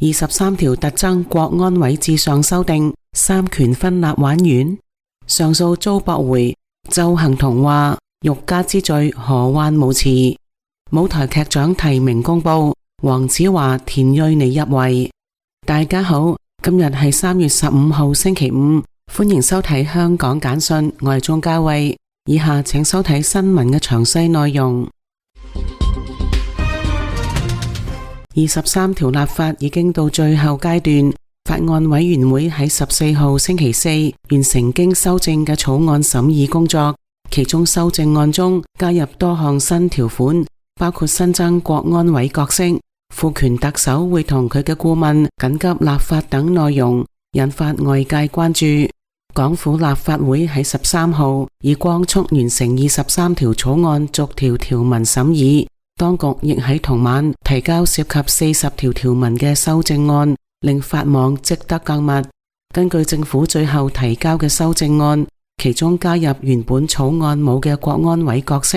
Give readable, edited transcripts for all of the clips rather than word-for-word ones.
23條特增國安委至上修訂，三權分立玩完。上訴遭駁回，鄒幸彤話欲加之罪何患無辭。舞台劇獎提名公布，黃子華、田蕊妮入圍。大家好，今日係3月15號星期五，歡迎收睇香港簡訊，我係鍾嘉慧。以下請收睇新聞嘅詳細內容。23條立法已經到最後階段，法案委員會喺14號星期四完成經修正嘅草案審議工作，其中修正案中加入多項新條款，包括新增國安委角色、賦權特首會同佢嘅顧問緊急立法等內容，引發外界關注。港府立法會喺13號以光速完成23條草案逐條條文審議，當局亦喺同晚提交涉及40條條文嘅修正案，令法網織得更密。根據政府最後提交嘅修正案，其中加入原本草案冇嘅國安委角色。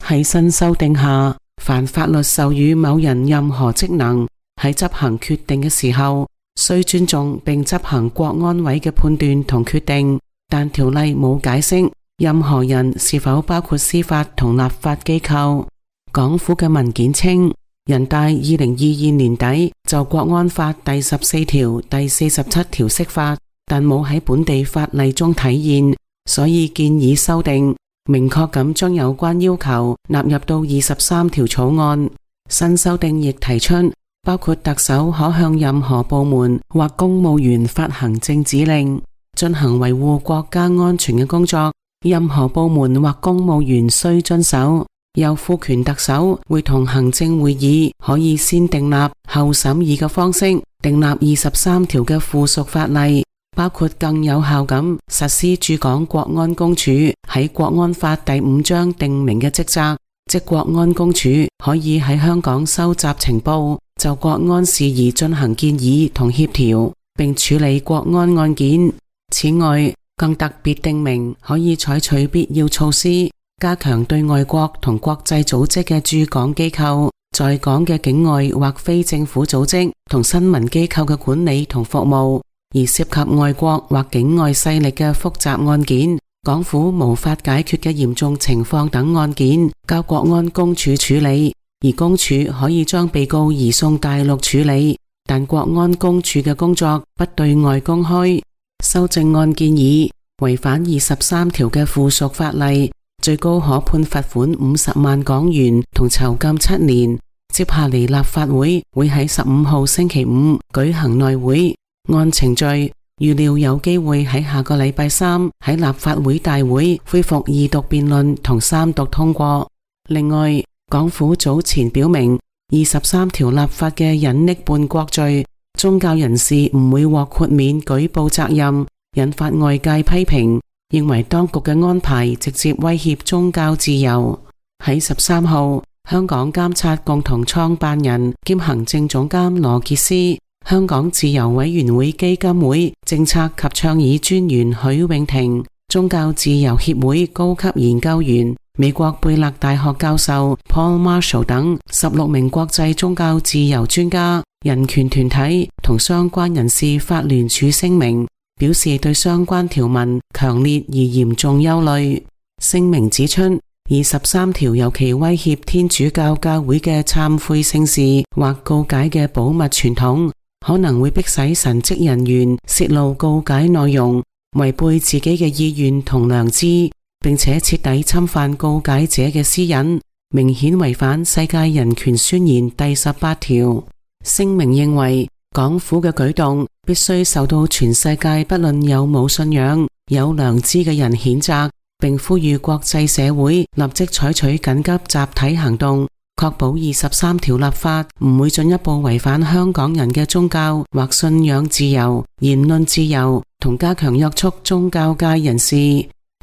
喺新修訂下，凡法律授予某人任何職能，喺執行決定嘅時候，須尊重並執行國安委嘅判斷同決定，但條例冇解釋任何人是否包括司法同立法機構。港府嘅文件稱，人大2022年底就國安法第14條、第47條釋法，但冇喺本地法例中體現，所以建議修訂，明確咁將有關要求納入到23條草案。新修訂亦提出，包括特首可向任何部門或公務員發行政指令，進行維護國家安全嘅工作，任何部門或公務員須遵守。又賦權特首會同行政會議可以先訂立後審議嘅方式，訂立23條嘅附屬法例，包括更有效咁實施駐港國安公署喺國安法第5章訂明嘅職責，即國安公署可以喺香港收集情報，就國安事宜進行建議同協調，並處理國安案件。此外，更特別訂明可以採取必要措施，加強對外國同國際組織嘅駐港機構、在港嘅境外或非政府組織同新聞機構嘅管理同服務，而涉及外國或境外勢力嘅複雜案件、港府無法解決嘅嚴重情況等案件，交國安公署處理，而公署可以將被告移送大陸處理，但國安公署嘅工作不對外公開。修正案建議，違反23條嘅附屬法例，最高可判罰款50萬港元同囚禁7年。接下嚟立法會喺15號星期五舉行內會，按程序預料有機會喺下個禮拜3喺立法會大會恢復二讀辯論同三讀通過。另外，港府早前表明23條立法嘅隱匿叛國罪，宗教人士唔會獲豁免舉報責任，引發外界批評，認為當局嘅安排直接威脅宗教自由。喺13號，香港監察共同創辦人兼行政總監羅傑斯、香港自由委員會基金會政策及倡議專員許永婷、宗教自由協會高級研究員、美國貝勒大學教授 Paul Marshall 等16名國際宗教自由專家、人權團體同相關人士發聯署聲明，表示對相關條文強烈而嚴重憂慮。聲明指出，23條尤其威脅天主教教會嘅懺悔聖事或告解嘅保密傳統，可能會迫使神職人員泄露告解內容，違背自己嘅意願同良知，並且徹底侵犯告解者嘅私隱，明顯違反世界人權宣言第18條。聲明認為，港府嘅舉動必須受到全世界不論有冇信仰、有良知嘅人譴責，並呼籲國際社會立即採取緊急集體行動，確保23條立法唔會進一步違反香港人嘅宗教或信仰自由、言論自由，同加強約束宗教界人士。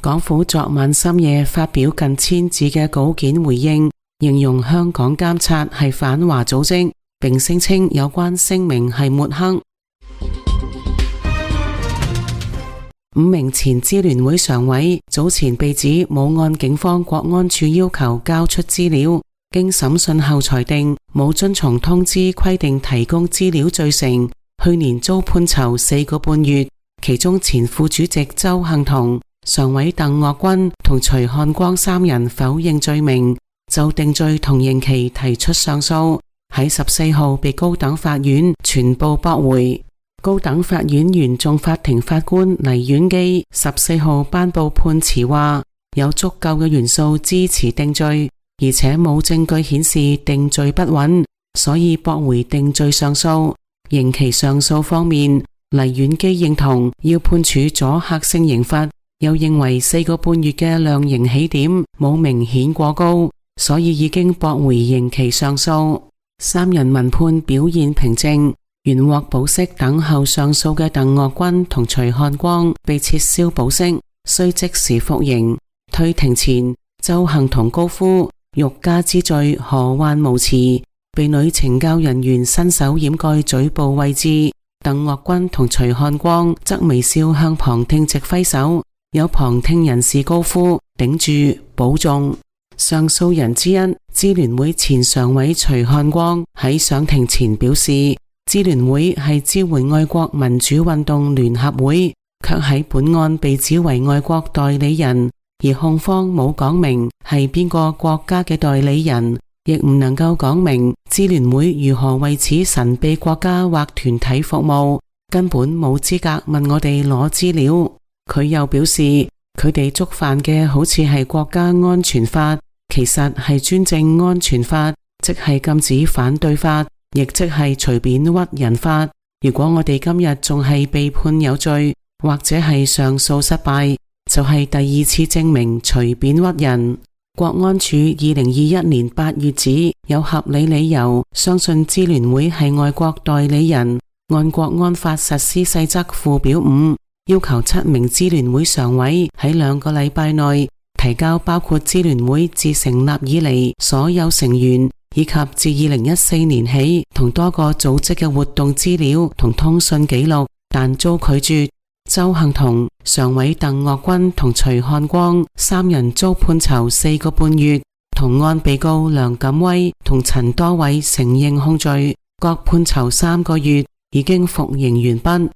港府昨晚深夜發表近1000字嘅稿件回應，形容香港監察係反華組織，並聲稱有關聲明係抹黑。5名前支聯會常委早前被指冇按警方國安處要求交出資料，經審訊後裁定冇遵從通知規定提供資料罪成，去年遭判囚4個半月。其中前副主席鄒幸彤、常委鄧岳君同徐漢光3人否認罪名，就定罪同刑期提出上訴，喺14號被高等法院全部駁回。高等法院原訟法庭法官黎婉基14號頒布判詞話，有足夠嘅元素支持定罪，而且冇證據顯示定罪不穩，所以駁回定罪上訴。刑期上訴方面，黎婉基認同要判處阻嚇性刑罰，又認為4個半月嘅量刑起點冇明顯過高，所以已經駁回刑期上訴。3人聞判表現平靜，原獲保釋等候上訴嘅鄧岳君同徐漢光被撤銷保釋，需即時服刑。退庭前，鄒幸彤高呼欲加之罪何患無辭，被女懲教人員伸手掩蓋嘴部位置。鄧岳君同徐漢光則微笑向旁聽席揮手，有旁聽人士高呼頂住保重。上訴人之一支聯會前常委徐漢光喺上庭前表示，支聯會係支援愛國民主運動聯合會，卻喺本案被指為外國代理人，而控方冇講明係邊個國家嘅代理人，亦唔能夠講明支聯會如何為此神秘國家或團體服務，根本冇資格問我哋攞資料。佢又表示，佢哋觸犯嘅好似係國家安全法，其實係專政安全法，即係禁止反對法，亦即係隨便屈人法。如果我哋今日仲係被判有罪，或者係上訴失敗，就係第2次證明隨便屈人。國安處2021年8月指有合理理由相信支聯會係外國代理人，按國安法實施細則附表5，要求7名支聯會常委喺2個禮拜內提交包括支聯會自成立以嚟所有成員以及自2014年起同多個組織嘅活動資料同通訊記錄，但遭拒絕。鄒幸彤、常委鄧岳君同徐漢光3人遭判囚4個半月，同案被告梁錦威同陳多偉承認控罪，各判囚3個月，已經服刑完畢。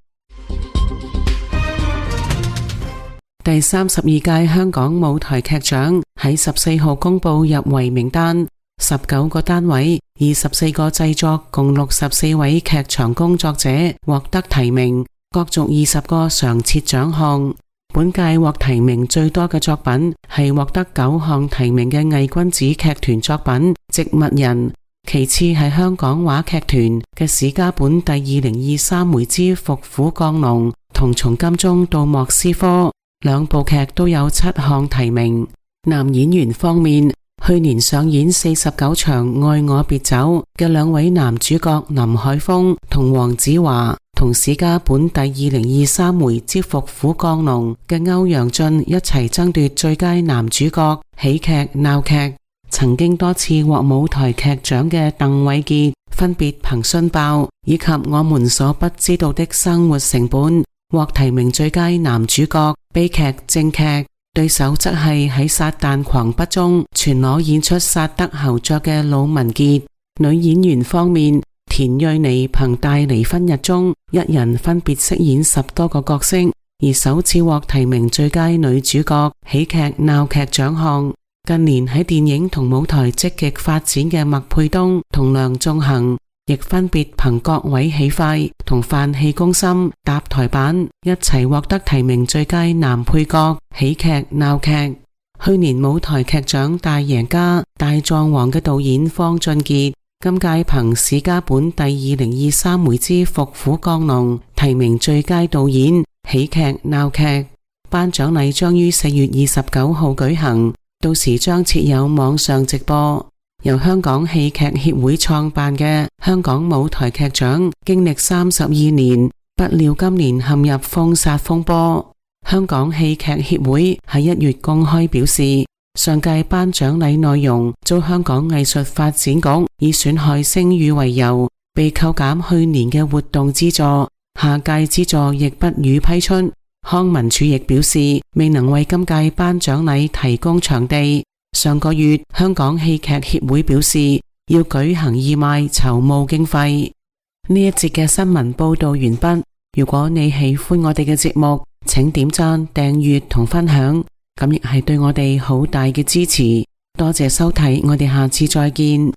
第32屆香港舞台劇獎喺14號公布入圍名單，19個單位24個製作共64位劇場工作者獲得提名，角逐20個常設獎項。本屆獲提名最多嘅作品係獲得9項提名嘅偽君子劇團作品《植物人》，其次係香港話劇團嘅史家本第2023回之伏虎降龍同從金鐘到莫斯科，兩部劇都有7項提名。男演員方面，去年上演49場《愛我別走》嘅2位男主角林海峰同黃子華，同史家本第2023回之伏虎降龍嘅歐陽俊一齊爭奪最佳男主角喜劇鬧劇。曾經多次獲舞台劇獎嘅鄧偉傑，分別憑信爆以及我們所不知道的生活成本獲提名最佳男主角悲劇正劇，對手則係喺撒旦狂筆中全裸演出薩德侯爵嘅魯文傑。女演員方面，田蕊妮憑大離婚日中一人分別飾演10多個角色，而首次獲提名最佳女主角喜劇鬧劇獎項。近年喺電影同舞台積極發展嘅麥沛東同梁仲恒，亦分別憑各位喜快同飯氣攻心搭台版一齊獲得提名最佳男配角喜劇鬧劇。去年舞台劇獎大贏家大狀王嘅導演方俊傑，今屆憑史家本第2023回之伏虎降龍提名最佳導演喜劇鬧劇。頒獎禮將於4月29號舉行，到時將設有網上直播。由香港戲劇協會創辦嘅香港舞台劇獎經歷32年，不料今年陷入封殺風波。香港戲劇協會喺1月公開表示，上屆頒獎禮內容遭香港藝術發展局以損害聲譽為由，被扣減去年嘅活動資助，下屆資助亦不予批出。康文署亦表示，未能為今屆頒獎禮提供場地。上個月香港戲劇協會表示要舉行義賣籌募經費。呢一節嘅新聞報道完畢。如果你喜歡我哋嘅節目，請點讚、訂閱同分享，咁亦係對我哋好大嘅支持。多謝收睇，我哋下次再見。